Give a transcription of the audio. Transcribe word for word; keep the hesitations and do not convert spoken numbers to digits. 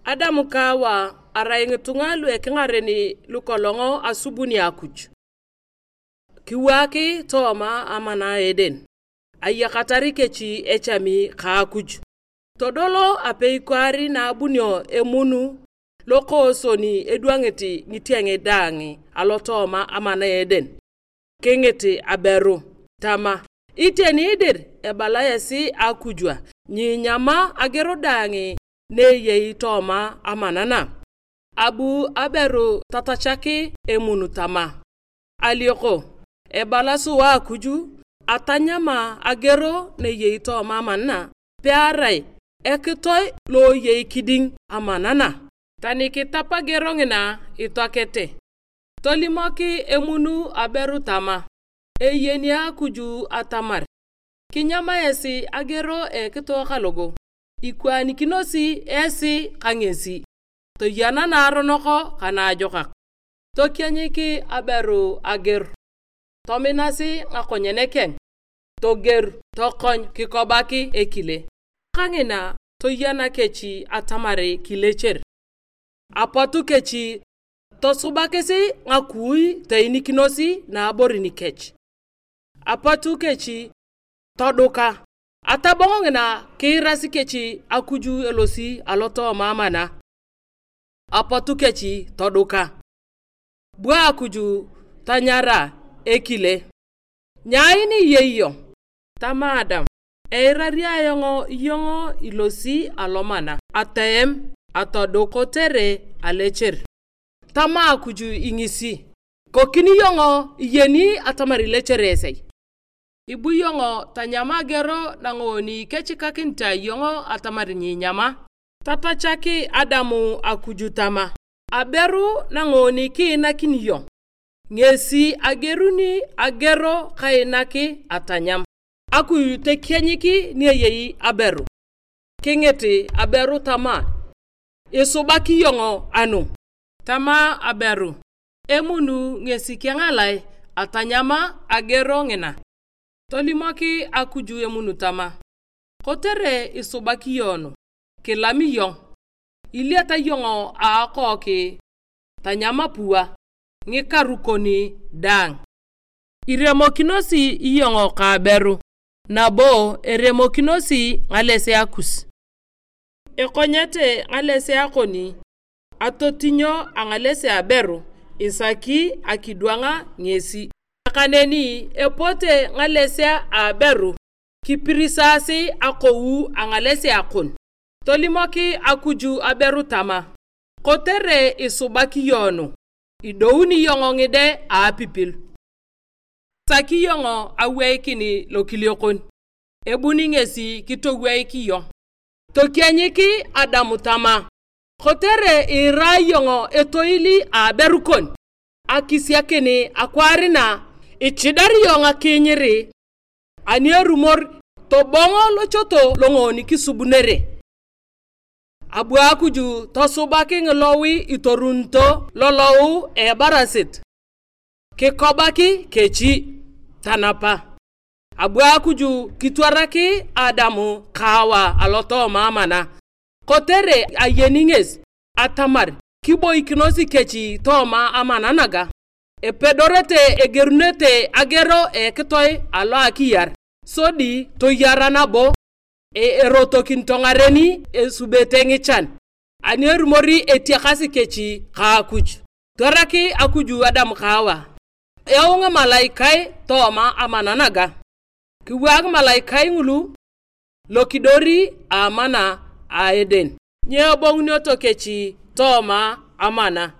Adam ka Awa arai ngitunga lu ekingaren lukolong asubuni Akuj. Kiwaak tooma amana a Eden, ayakatar kech echami ka Akuj. Todolo apei kwaar na abunio emun lokooson edwangit ngitieng daang alotooma amana a Eden. Kingit aberu tama, "Iteni dir ebala esi Akuj a, nyiinyama ageor daang na eyei tooma amana na?" Abu aberu tatachak emun tama, "Alioko, ebala sua Akuj atanyama ageor na eyei tooma amana na, pearai ekitoe lo eyei kiding amana na?" Tani kitap ageor ngina itoakete, tolimok emun aberu tama, "Eyeni Akuj atamar kinyama esi ageor a ekitoe kalogo, ikwaanikinosi esi ka ngesi, toyena naaronok ka naajokak." Tokianyik aberu ageor, tominasi ngakonyen keng, togeor, tokony kikobak ekile. Kangina toyena kech atamar kilecher. Apotu kech tosubakis ngakui toinikinos naaborin kech. Apotu kech toduka. Atabong ngina kiirasi kech Akuj elosi alotooma amana. Apotu kech toduka. Bu Akuj tanyara ekile, "Nyaai ni iyei iyong?" Tama Adam, "Eirari ayong iyong ilosi alomana, atoem, atoduk kotere alecher." Tama Akuj ingisi, "Kokini iyong iyeni atamar ilecher esei. Ibu iyong tanyam ageor nangoon kechikakinit iyong atamar nyiinyama." Tatachak Adam Akuj tama, "Aberu nangoon kiinakini iyong, ngesi ageruni ageor kainak atanyam." Akuj tokianyik ni eyei aberu. Kingit aberu tama, "Isubak iyong anu?" Tama aberu, "Emun ngesi kengalae atanyama ageor ngina." Tolimok Akuj emun tama, "Kotere isubak iyong nu, kilam iyong, iliata iyong a akook tanyam apua, ngikaru kon daang. Iremokinosi iyong ka aberu, nabo eremokinosi ngalesea kus." Ekonyete ngalesea kon, atotinyo angalesea aberu isaki akidwang ngesi. Nakaneni epote ngalesea a aberu kipirisasi akou a ngalesea kon. Tolimok Akuj aberu tama, "Kotere isubak iyong nu, idouni iyong ngide a apipil. Isaki iyong aweikin lokiliokon, ebuni ngesi kitoweik iyong." Tokianyik Adam tama, "Kotere iira iyong etoil a aberu kon, akisiakin akwaar na ichidar iyong akiinyir, ani erumor tobong lochoto longoon kisubunere." Abu Akuj tosubak ngilowi itorunito lolou a ebarasit, kikobak kechi, tanapa. Abu Akuj kitwarak Adam ka Awa alotooma amana, kotere ayeni ngesi atamar kiboikinos kech tooma amana naga. Epedorete egerunete ageor a ekitoe alo akiyar, sodi toyar nabo. E-, erotokinito ngaren esubete ngichan, ani erumor etiakasi kech ka Akuj. Twarak Akuj Adam ka Awa, "Yau ngimalaikai tooma amana naga." Kiwaak ngimalaikai ngulu lokidor a amana a Eden. Nyebongunioto kech tooma amana.